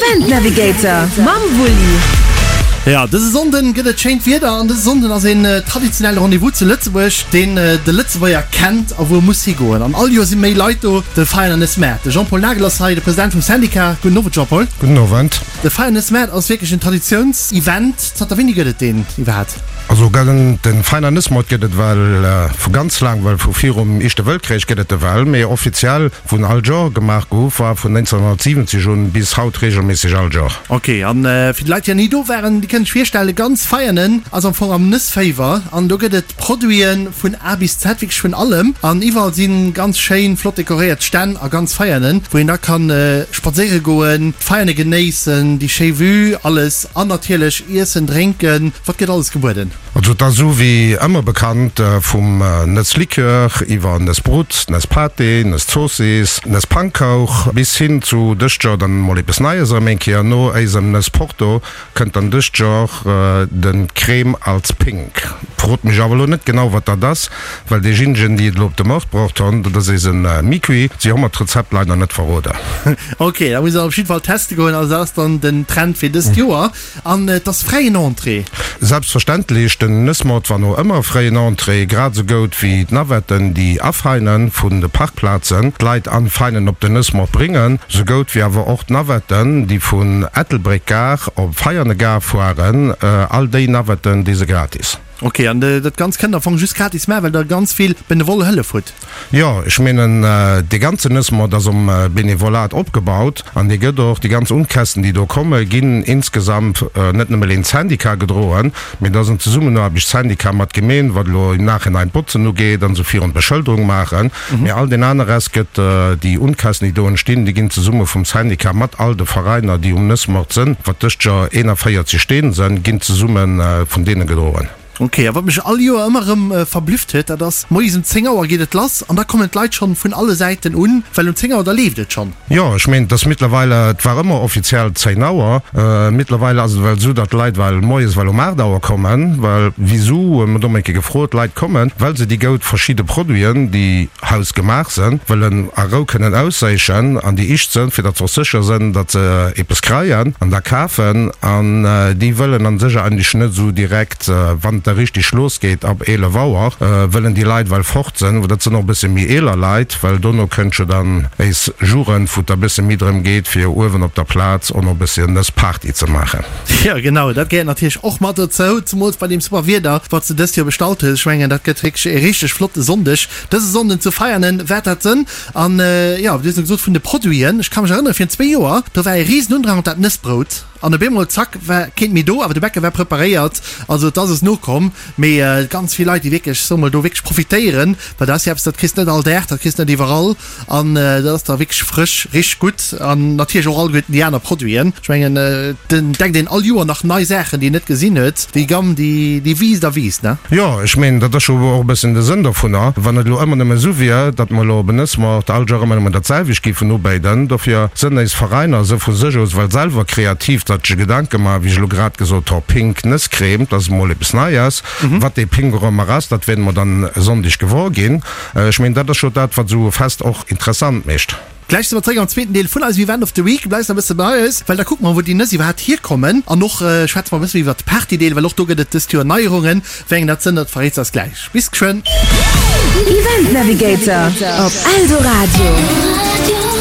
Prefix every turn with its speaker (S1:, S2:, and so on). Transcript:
S1: Event Navigator mam Wulli.
S2: Jo, dëse Sonnden gëtt et schéint Wieder an dëse Sonnden ass een traditionelle Rendez-vous zu Lëtzebuerg, deen de Lëtzebuerger kennt a wou e muss higoen. An all Joer si méi Leit do, de Veianer Maart. De Jean-Paul Nagel ass hei, de President vum Syndicat. Gudden Owend Jean-Paul.
S3: Gudden Owend.
S2: De Veianer Maart ass wierklech en Traditiounsevent. Zanter wéini gëtt et deen iwwerhaapt?
S3: Also den Feiner Nëssmoort gëtt et well vu ganz laang, well vu virum Ischte Wëltkréich gëtt et e well, mee offiziell wou en all Jor gemaach gouf war vun 1970 un bis haut regelméisseg all Jor.
S2: Ok, an fir déi Leit déi nach ni do waren, déi kënnen sech virstellen, ganz Veianen ass am Fong am Nëssféiwer an do gëtt et Produiten vun A bis Z, wierklech vun allem an iwwerall si ganz schéin flott dekoréiert Stänn a ganz Veianen wou een da kann spadséiere goen, d'Veiane genéissen, déi schéi Vue, alles an natierlech iessen, drénken. Wat gëtt alles gebueden?
S3: Also et ass esou wéi ëmmer bekannt, vum Nësslikör iwwer Nëssbrut, Nësspâté, Nësszoossiss, Nësspankouch bis hin zu dëst Joer dann emol eppes Neies erëm eng Kéier, no éisem Nëssporto kënnt dann dëst Joer de Crème als Pink. Frot mech awer elo net genau wat dat ass, well deejéinegen déi et elo op de Mord bruecht honn, dat ass eise Miqui, si hu mer d'Rezept leider net verroden.
S2: Ok, da muss ech op jidde Fall teste goen. Also dat ass dann den Trend fir dëst Joer. An et ass fräien Entrée?
S3: Selbstverständlech, den Nëssmoort war no ëmmer fréien Entrée, grad esou goud wéi d'Navetten déi afeinen vun de Parkplazen d'Leit anfeinen op den Nëssmoort bréngen, sou goud wéi awer och d'Navetten déi vun Ettelbréck Gare op Veiane Gare fuaren, all déi Navetten déi se gratis.
S2: Ok, an dat Ganzt kënnt am Fong just gratis maachen, well der ganz vill benevole Hëllef hutt?
S3: Jo, ech meenen, dee ganzen Nëssmoort ass um Benevolat opgebaut an dee gëtt och, déi ganz Unkästen, déi do kommen, ginn insgesamt net nëmme leen Syndicat gedroen, mee et ass en Zesummenaarbecht Syndicat mat Gemeen, wat elo im Nachhinein d'Botzen ugeet an esou virun, d'Beschëlderung maachen, mee all deen aner Rest gëtt, déi Unkästen, déi do entstinn, déi ginn zesumme vum Syndicat mat all de Veräiner, déi um Nëssmoort sënn, wat dëst Joer 41 Steen sënn, ginn zesumme vun deene gedroen.
S2: Ok, a wat mech all Joer ëmmer erëm verblüfft huet, dat ass, moies um 10 Auer geet et lass an da kommen d'Leit schonn vun alle Säiten un, well um 10 Auer da leeft et schonn.
S3: Jo, ech meen, et ass mittlerweile, et war ëmmer offiziell 10 Auer, mittlerweile ass et ewell esou, datt d'Leit well moies well um 8 Auer kommen, well wisou, hu mer do eng Kéier gefrot, d'Leit kommen, well se déi goud verschidde Produiten, déi hausgemaach sënn, wëllen a Rou kënnen ausséichen an déi ischt sënn, fir datt se och sécher sënn, datt se eppes kreien an da kafen an déi wëllen an sech eigentlech net esou direkt, wann et da richtig los geet ab 11 Auer, wëllen déi Leit well fort sënn, dat sënn och e bësse méi eeler Leit, well dono kënnt jo dann éis Jugend, wou et da bësse méi drëm geet, fir uewen op der Plaz och nach e bësschen Nëss Party ze maachen.
S2: Jo genau, dat gehéiert natierlech och mat dozou, zemools bei deem super Wieder, wat s de dëst Joer bestallt hues. Ech mengen, dat gëtt wierklech e richteg flotte Sonndeg. Dëse Sonnden zu Veianen waert dat sënn. An jo, wéi du gesot vun de Produiten, ech ka mech erënnere virun zwéi Joer, do war e risen Undrang op dat Nëssbrout an op eemol zack war keent méi do, awer de Bäcker war preparéiert, also et ass es nokomm. Mee ganz vill Leit déi wierklech, soe mol, do wierklech profitéieren, well dat ass jo eppes, dat kriss net all Dag, dat kriss net iwwerall an dat ass da wierklech frësch, richteg gutt an natierlech och alleguerten déi aner Produiten. Ech mengen et entdeckt een all Joer nach nei Saachen, déi een net gesinn huet. Déi Gamm, déi, déi wiisst a wiisst, ne?
S3: Jo, ech meen, dat ass jo och e bëssen de Sënn dovunner. Wann et elo ëmmer nëmme esou wier, datt mer elo op en Nëssmoart all Joer ëmmer nëmmen dat selwecht géifen ubéiden. Dofir sënn éis Veräiner esou vu sech aus well selwer kreativ, datt sech Gedanke maachen, wéi ech elo grad gesot ho, pink Nësscrème, dat ass emol eppes Neies. Wat dee pink och ëmmer ass, dat wäerte mer dann e Sonndeg gewor ginn. Ech meen, dat ass jo dat, wat esou e Fest och interessant mécht.
S2: Gläich si mer zréck am zweeten Deel vun eisem Event of the Week. Bleifs nach e bësse bei eis, well da kucke mer, wou déi Nëss iwwerhaapt hierkommen. An och schwätze mer e bësse méi iwwert de Party-Deel, well och do gëtt et dëst Joer Neierungen. Wéi eng dat sënn, dat verréits eis gläich. Bis geschwënn!
S1: Event Navigator op Eldoradio.